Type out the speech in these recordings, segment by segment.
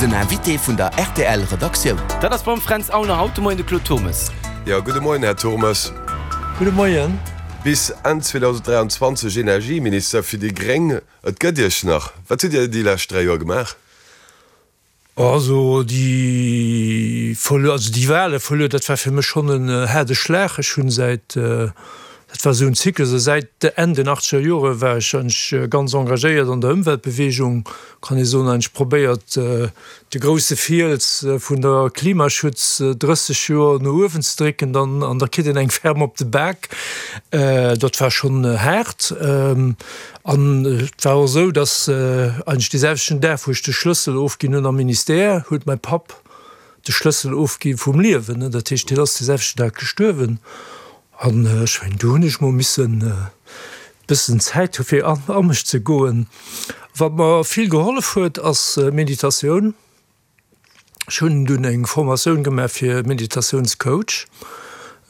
Den Invité vun der rtl Redaktioun. Dat ass beim Fränz Aulner haut de Moien de Claude Turmes. Jo, gudde Moien, Här Turmes. Gudde Moien. Bis Enn 2023 Energieminister fir déi gréng. Et gëtt Iech nach. Wat hutt Dir déi lescht 3 Joer gemaach? Also déi verluer, also déi Wale verluer, dat war fir mech schonn en haarde Schlag. Ech hunn säit, dat war esou en Zyklus, also säit Enn den achtzeger Jore war ech eigentlech ganz engagéiert an der Ëmweltbewegung, kann ee soen, eigentlech probéiert de grousse Fiels vun der Klimaschutz 30 Joer no uewen ze drécken, dann an da kritt een eng ferm op de Bak. Dat war schonn haart. An et war och esou, datt eigentlech dee selwechten Dag, wou ech de Schlëssel ofginn hunn am Ministère, huet mäi Papp de Schlëssel ofgi vum Liewen. Dat heescht, hien ass dee selwechten Dag gestuerwen. An ech mengen, do hunn ech mol missen e bëssen Zäit hu fir a mech ze goen. Wat mer vill gehollef huet, ass Meditatioun. Ech hunn dunn eng Formatioun gemaach fir Meditatiounscoach.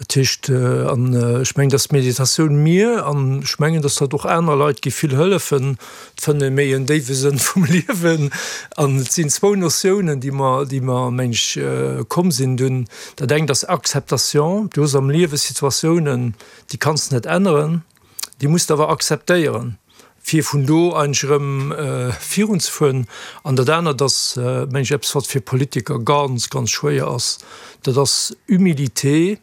Dat heescht, an ech mengen, dass d'Meditatioun mir, an ech mengen, dass dat och aner Leit géif vill hëllefen, d'fënne méi en déiwe Sënn vum Liewen. An et sinn zwou Notiounen, déi mer, déi mer, meng ech, komm sinn dunn. Dat engt ass Acceptation. Du hues am Liewe Situatiounen, déi kanns de net änneren. Déi muss de awer akzeptéieren, fir vun do eigentlech erëm virunzefueren. An dat anert ass, meng ech, eppes, wat fir Politiker ganz, ganz schwéier ass, dat ass Humilité,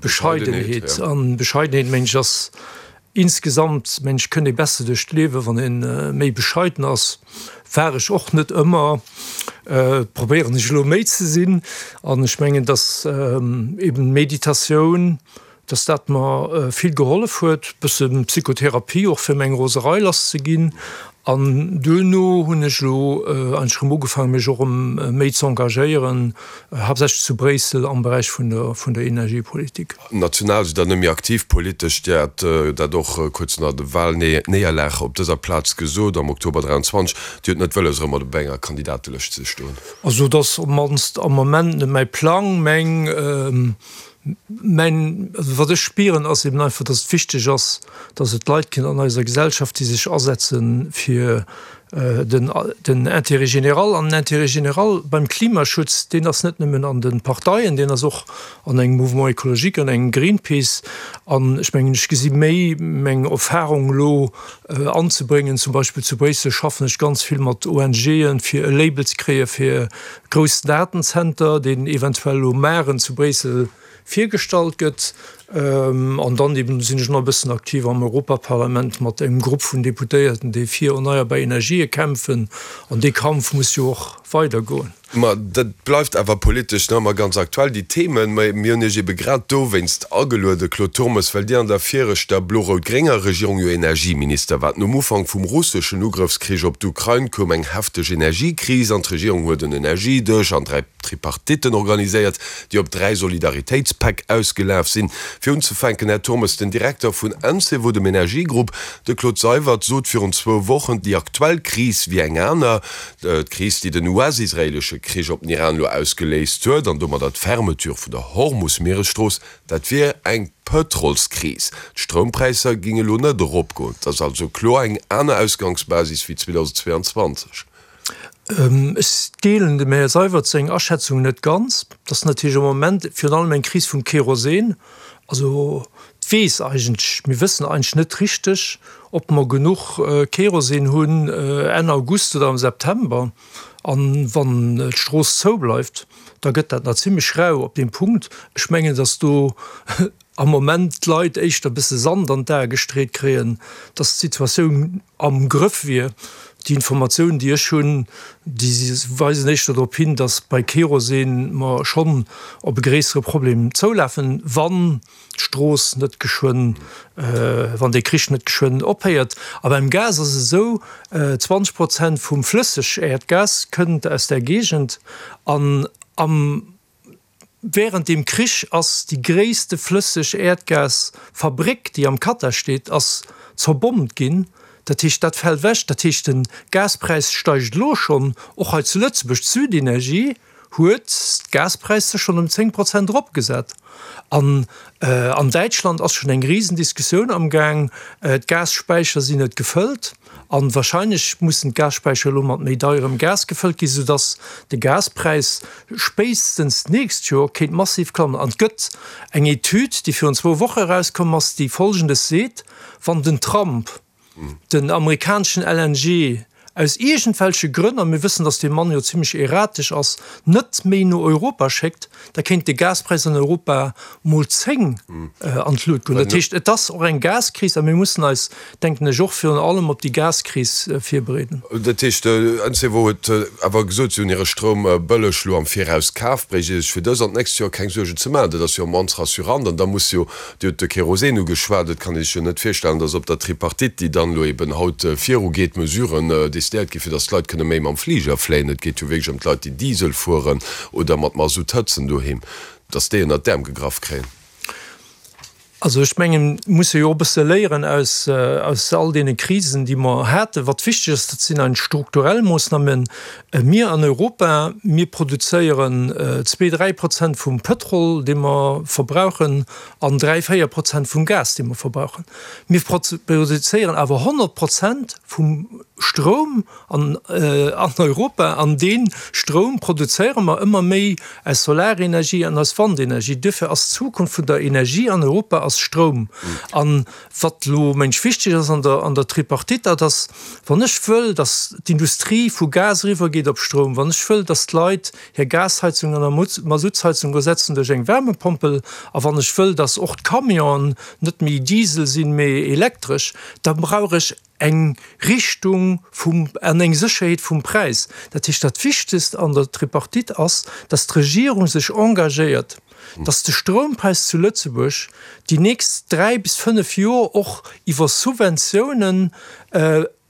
Bescheidenheet. An Bescheidenheet, meng ech, ass insgesamt, meng ech, kënnt ee besser duerch d'Liewen, wann ee méi bescheiden ass. War ech och net ëmmer, probéieren ech elo méi ze sinn. An ech mengen, dass eben Meditatioun, dass dat mer vill gehollef huet, bësse Psychotherapie och fir meng Roserei lass ze ginn. An duerno hunn ech elo eigentlech erëm ugefaangen, mech och erëm méi ze engagéieren, haaptsächlech zu Bréissel am Beräich vun der vun der Energiepolitik. National sidd Der net méi aktiv politesch. Dir hat dat och kuerz no der Wahlnéierlag op dëser Plaz gesot am Oktober 23. Dir hutt net wëlles, erëm mat op enger Kandidatelëscht ze stoen. Also et ass op d'mannst am Moment net mäi Plang. Meng Mäin, also wat ech spieren, ass eben einfach, dass et wichteg ass, dass et Leit ginn an eiser Gesellschaft, déi sech asetze fir den, den Intérêt général. An den Intérêt général beim Klimaschutz, deen ass net nëmmen an de Parteien, deen ass och an engem Mouvement écologique, an engem Greenpeace. An ech mengen, ech gesi méi meng Erfahrung elo anzebréngen. Zum Beispill zu Bréissel schaffen ech ganz vill mat ONGen, fir e Label ze kréie fir Groussen Datenzenter, deen eventuell elo maren zu Bréissel virgestallt gëtt. An dann eben sinn ech nach e bëssen aktiv am Europaparlament mat engem Grupp vun Deputéierten, déi fir erneierbar Energië kämpfen. An dee Kampf muss jo och weidergoen. Ma dat bleift awer politesch nach ëmmer ganz aktuell, déi Themen. Mä mir hunn Iech ebe grad dowéinst ageluede, Claude Turmes, well Dir an der viregter blo-rout-grénger Regierung jo Energieminister waart. Nom Ufank vum russeschen Ugrëffskrich op d'Ukrain koum eng hefteg Energiekris an d'Regierung huet en Energiedësch an 3 Tripartitten organiséiert, déi op 3 Solidaritéitspäck ausgelaf sinn. Fir unzefänken, Här Turmes, den Direkter vun Encevo, dem Energiegrupp, de Claude Seywert, sot virun zwou Wochen, déi aktuell Kris wier eng aner. D'Kris, déi den US-israeelesche Krich op den Iran elo ausgeléist huet an domadder d'Fermeture vun der Hormus-Mieresstrooss, dat wier eng Pëtrolskris. D'Stroumpräisser géing elo net eropgoen. Et ass also kloer eng aner Ausgangsbasis wéi 2022. Ech deelen dem Här Seywert seng Aschätzung net ganz. Et ass natierlech am Moment virun allem eng Kris vum Kerosin. Also et weess eigentlech, mir wëssen eigentlech net richteg, ob mer genuch Kerosin hunn Enn August oder am September. An wann d'Strooss zoubleift, da gëtt dat nach zimmlech rau op deem Punkt. Ech mengen, datt do am Moment d'Leit éischter e bësse Sand an d'Ae gestreet kréien, datt d'Situatioun am Grëff wier. Déi Informatiounen, déi ech hunn, déi weisen éischter drop hin, datt bei Kerosin mer schonn op e gréissere Problem zoulafen, wann d'Strooss net geschwënn, wann dee Krich net geschwënn ophéiert. A beim Gas ass et esou, 20 Prozent vum Flësseg-Äerdgas kënnt aus där Géigend an am Wärend deem Krich ass déi gréisste Flësseg-Äerdgas-Fabréck, déi am Katar steet, ass zerbommt ginn. Dat heescht, dat fält ewech. Dat heescht, de Gaspräis steigt elo schonn, och hei zu Lëtzebuerg. D'Südenergie huet d'Gaspräisser schonn ëm 10 Prozent eropgesat. An an Däitschland ass schonn eng Risendiskussioun amgaang. D'Gasspäicher sinn net gefëllt. A wahrscheinlech mussen d'Gasspäicher elo mat méi deierem Gas gefëllt ginn, soudass de Gaspräis spéitstens d'nächst Joer kéint massiv klammen. An et gëtt eng Etüd, déi virun zwou Woche erauskomm ass, déi Folgendes seet, Wann den Trump den amerikaneschen LNG aus iergendwelche Grënn, a mir wëssen, datt dee Mann jo zimlech erratesch ass, net méi no Europa schéckt, da kéint de Gaspräis an Europa mol 10 an d'Lut goen. Dat heescht, et ass och eng Gaskris a mir mussen eis, denken ech, och virun allem op déi Gaskris virbereeden. Dat heescht, Encevo huet awer gesot, si hunn hire Stroum bëlleg elo am Viraus kaf, bréicht ee sech fir dës an d'nächst Joer keng Suergen ze maachen. Dat ass jo immens rassurant an da muss jo Dir hutt de Kerosin ugeschwat. Et kann ee sech jo net virstellen, datt op der Tripartite, déi dann elo eben haut virugeet, Mesuren decidéiert ginn, fir datt d'Leit kënne méi mam Fliger fléien. Et geet jo wierklech ëm d'Leit, déi Diesel fueren oder mat Masutt hëtzen doheem, datt déi ënnert d'Äerm gegraff kréien. Also ech mengen, mir musse jo och e bësse léieren aus all deene Krisen, déi mer haten. Wat wichteg ass, dat sinn eigentlech strukturell Moossnamen. Mir an Europa, mir produzéieren zwee, 3% vum Pëtrol, dee mer verbrauchen, an 3, 4% vum Gas, dee mer verbrauchen. Mir produzéieren awer 100% vum Stroum an Europa, an dee Stroum produzéiere mer ëmmer méi aus Solarenergie an aus Wandenergie. Duerfir ass d'Zukunft vun der Energie an Europa ass Stroum. An Wat elo mensch wichteg ass an der an der Tripartite, dat ass, wann ech wëll, datt d'Industrie vu Gas eriwwergeet op Stroum, wann ech wëll, datt d'Leit hir Gasheizung an Masuttsheizung ersetzen duerch eng Wärmepompel, a wann ech wëll, datt och d'Camionen net méi Diesel sinn, mee elektresch, da brauch ech eng Richtung vum an eng Sécherheet vum Präis. Dat heescht, dat Wichtegst an der Tripartite ass, datt d'Regierung sech engagéiert, datt de Stroumpräis zu Lëtzebuerg déi nächst 3 bis 5 Joer och iwwer Subventiounen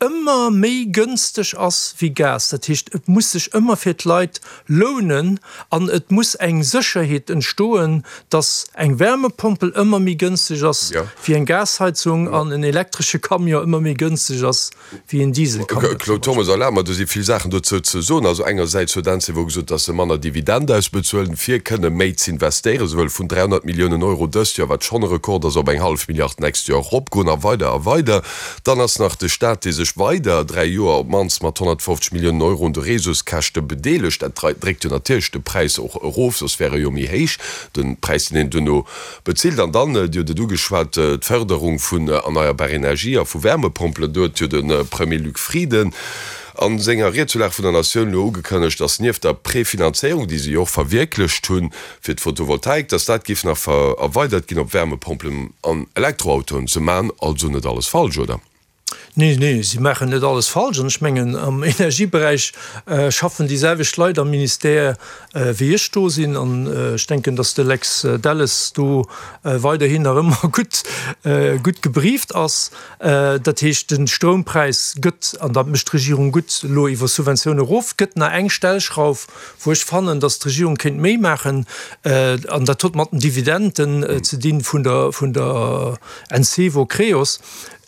ëmmer méi gënsteg ass wéi Gas. Dat heescht, et muss sech ëmmer fir d'Leit lounen an et muss eng Sécherheet entstoen, datt eng Wärmepompel ëmmer méi gënsteg ass wéi eng Gasheizung an en elektresche Camion ëmmer méi gënsteg ass wéi en Dieselcamion. Claude Turmes, Erlaabt mer, do si vill Saachen dozou ze soen. Also engersäits huet Encevo gesot, datt se manner Dividend ausbezuelen, fir kënne méi z'investéieren. Se wëlle vun 300 Milliounen Euro dëst Joer, wat schonn e Rekord ass, op eng hallef Milliard d'nächst Joer eropgoen a weider a weider. Dann ass nach de Staat, dee sech weider dräi Joer op d'mannst mat 150 Milliounen Euro un de Réseauskäschte bedeelegt. Dat dréckt jo natierlech de Präis och erof, soss wär e jo méi héich, de Präis, deen een duerno Bezilt. An dann, Dir hutt et ugeschwat, d'Förderung vun erneierbar Energie a vu Wärmepompelen. Do huet jo de Premier Luc Frieden a senger Ried zur Lag vun der Natioun elo ugekënnegt, datt nieft der Prefinanzéierung, déi se jo och verwierklecht hunn fir d'Photovoltaik, datt dat géif nach erweidert ginn op Wärmepompelen an Elektroautoen. Se man also net alles falsch, oder? Nee, nee, si maachen net alles falsch. An ech mengen, am Energieberäich schaffen déi selwecht Leit am Ministère, wéi ech do sinn. An ech denken, datt de Lex Delles do weiderhin nach ëmmer gutt, gutt gebrieft ass. Dat heescht, de Stroumpräis gëtt, an dat mécht d'Regierung gutt, elo iwwer Subventioune erof. Et gëtt nach eng Stellschrauf, wou ech fannen, datt d'Regierung kéint méi maachen, an dat huet mat den Dividenden ze dinn vun der, vun der Encevo Creos.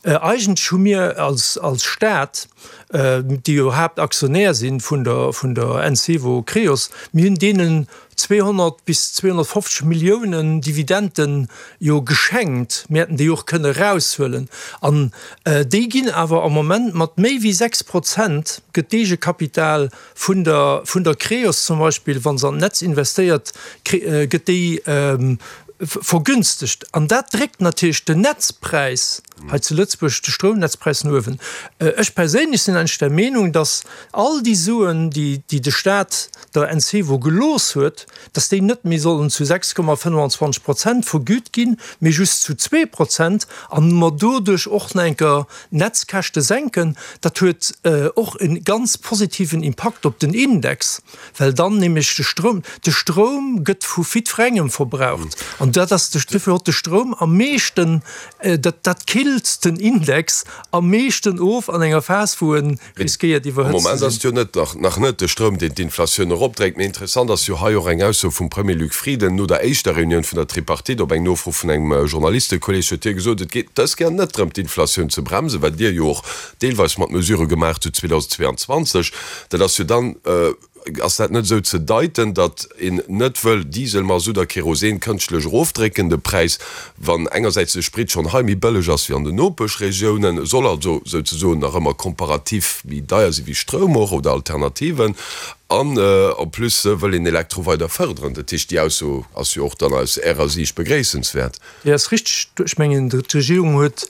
Eigentlech hu mir als Staat, déi jo Haaptaktionär si vun der Encevo Creos, mir hunn deenen 200 bis 250 Milliounen Dividenden jo geschenkt. Mir hätten déi och kënne eraushuelen. An déi ginn awer am Moment mat méi wéi 6 Prozent gëtt d'Eegekapital vun der Creos zum Beispill, wa se an d'Netz investéiert, gëtt déi vergünstegt. An dat dréckt natierlech den Netzpräis hei zu Lëtzebuerg, de Stroumnetzpräis no uewen. Ech perséinlech sinn eigentlech der Meenung, datt all déi Suen, déi de Staat der Encevo gelooss huet, datt déi net méi sollen zu 6,25 Prozent vergüt ginn, mee just zu 2 Prozent, a mer doduerch och nach eng Kéier d'Netzkäschte senken. Dat huet och e ganz positiven Impakt op den Index. Well dann nämlech de Stroum, de Stroum gëtt vu jiddwerengem verbraucht an dat ass de, duerfir huet de Stroum am meeschten, dat dat killt den Index am meeschten of an enger Phas wou e riskéiert Am iwwerhëtzt ze Moment sinn. ass et jo net, nach nach net de Stroum deen d'Inflatioun eropdréckt. Mee interessant ass jo hei och eng Ausso vum Premier Luc Frieden no der éischter Reunioun vun der Tripartite. Op eng Nofro vun engem Journalistekolleeg huet hie gesot, et geet dës Kéier net drëm d'Inflatioun ze bremsen, wat Dir jo och deelweis mat Mesurë gemaacht hutt 2022. Dat ass jo dann. Ass dat net esou ze deiten, datt een net wëll Diesel, Masutt a Kerosin kënschtlech erofdrécken, de Präis, wann engersäits de Sprit schonn hei méi bëlleg ass wéi an den Nopeschregiounen, soll also souzesoen nach ëmmer komparativ méi deier si wéi Stroum och oder Alternativen, an en plus wëll een Elektro weider fërderen? Dat heescht, déi Ausso ass jo och dann aus Ärer Siicht begréissenswäert. Déi ass richteg. Ech mengen, d'Regierung huet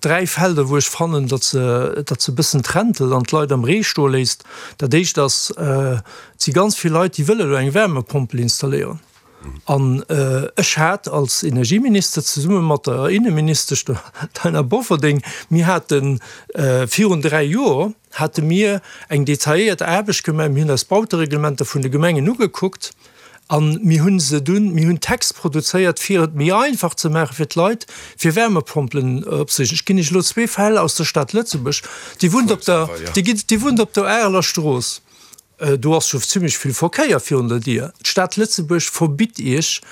dräi Felder, wou ech fannen, datt se, datt se e bëssen trentelt an d'Leit am Ree stoe léisst. Dat éischt ass, et si ganz vill Leit, déi wëlle elo eng Wärmepompel installéieren. An ech hat als Energieminister zesumme mat der Inneministesch, der Taina Bofferding, mir hate virun dräi Joer hate mir eng detailléiert Aarbecht gemaach, mir hunn eis Bautereglementer vun de Gemengen ugekuckt, A mir hu se dunn, mir hunn Text produzéiert, fir et méi einfach ze maache fir d'Leit, fir Wärmepompelen opzeriichten. Ech ginn Iech elo zwee Fäll aus der Stad Lëtzebuerg. Dir wunnt op der, Dir wunnt op der Areler Strooss. Do ass scho zimlech vill Verkéier virun der Dier. D'Stad Lëtzebuerg verbitt Iech,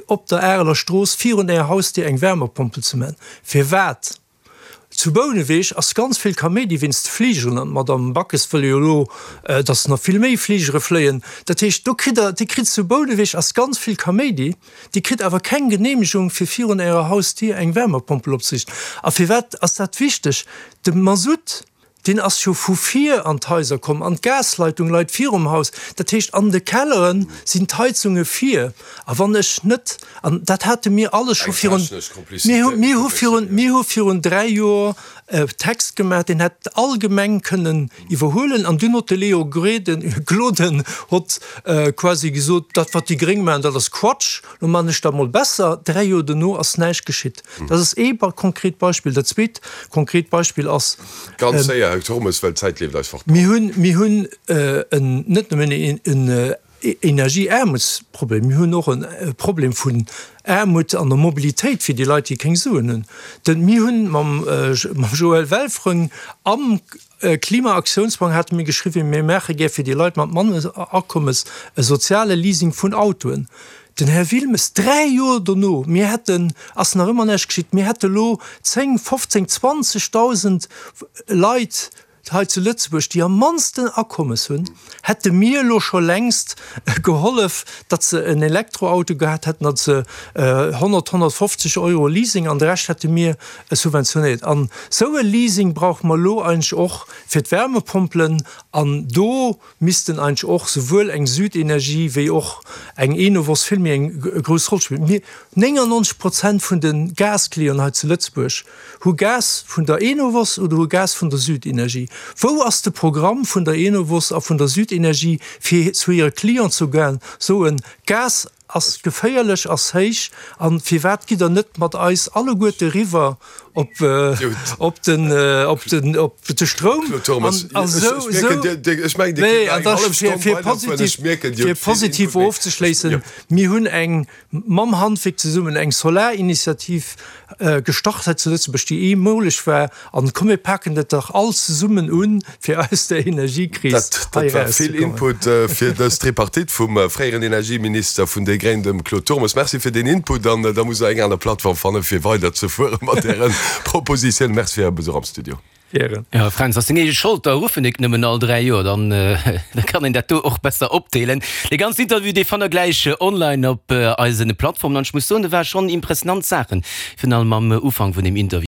op der Areler Strooss virun Ärer Hausdier eng Wärmepompel ze maachen. Firwat? Zu Bouneweg ass ganz vill Kaméidi wéinst de Fligeren an d'Madame Backes wëll jo elo, datt nach vill méi Fligere fléien. Dat heescht, do kritt Der, Dir kritt zu Bouneweg ass ganz vill Kaméidi, Dir kritt awer keng Genehmegung fir virun Ärer Hausdier eng Wärmepompel opzeriichten. A firwat ass dat wichteg? De Masutt, Deen ass jo vu vir an d'Haiser komm an d'Gasleitung leit virum Haus. Dat heescht, an de Kellere sinn d'Heizunge vir. A wann ech net, an dat hate mir alles scho virun, mir hu, mir hu virun, mir hu virun dräi Joer e Text gemaach, deen hätt all Gemeng kënnen iwwerhuelen. An dunn hott de Léo Gréden, Gloden hott quasi gesot, dat wat déi Gréng maachen, dat ass Quatsch. Lo man ech dat mol besser. Dräi Joer dono ass näischt geschitt. Dat ass ee konkret Beispill. Dat zweet konkret Beispill ass. Ganz séier, Här Turmes, well d'Zäit leeft eis fort. Mir hunn, mir hunn en, net nëmmen en Energieaarmutsproblem, mir hunn och e Problem vun Aarmut an der Mobilitéit fir déi Leit, déi keng Suen hunn. Denn mir hunn mam Joël Welfring am Klimaaktiounsplang hate mir geschriwwen, mir maache gär fir déi Leit mat manner Akommes e soziale Leasing vun Autoen. Den Här Wilmes, dräi Joer dono, mir hätten, ass nach ëmmer näischt geschitt, mir hätte lo 10, 15, 20.000 Leit hei zu Lëtzebuerg, déi am mannsten Akommes hunn, hätte mir elo scho längst gehollef, datt se en Elektroauto gehat hätten, datt se 100, 150 Euro Leasing an de Rescht hätte mir subventionéiert. An esou e Leasing brauche mer elo eigentlech och fir d'Wärmepompelen. An do missten eigentlech och souwuel eng Südenergie wéi och eng Enovos vill méi eng grouss Roll spillen. Mir, 99 Prozent vun de Gasclienten hei zu Lëtzebuerg hu Gas vun der Enovos oder hu Gas vun der Südenergie. Wou ass de Programm vun der Enovos a vun der Südenergie fir zu hire Clienten ze goen, soen, Gas ass geféierlech, ass héich, an firwat gitt der net mat eis alleguerte riwwer op op den op den op de Stroum an esou esou nee an da fir fir positiv fir positiv ofzeschléissen, mir hunn eng mam Handwierk zesummen eng Solarinitiativ gestart hei zu Lëtzebuerg, déi eemoleg war. An komm mir paken dat dach all zesummen un, fir aus der Energiekris hei erauszekommen. Dat war vill Input fir dës Tripartite vum fréieren Energieminister vun déi Gréng, dem Claude Turmes. Merci fir deen Input an da musst Der eng aner Plattform fannen, fir weiderzefuere mat Äre Propositiounen. Merci fir Äre Besuch am Studio. Gären. Jo, Fränz, ass deng eege Schold, da ruffen ech nëmmen all 3 Joer, dann da kann een dat do och besser opdeelen. Dee ganzen Interview, dee fannt der gläich online op eisen Plattformen an ech muss soen, do ware schonn impressionant Saachen, virun allem am Ufank vun deem Interview.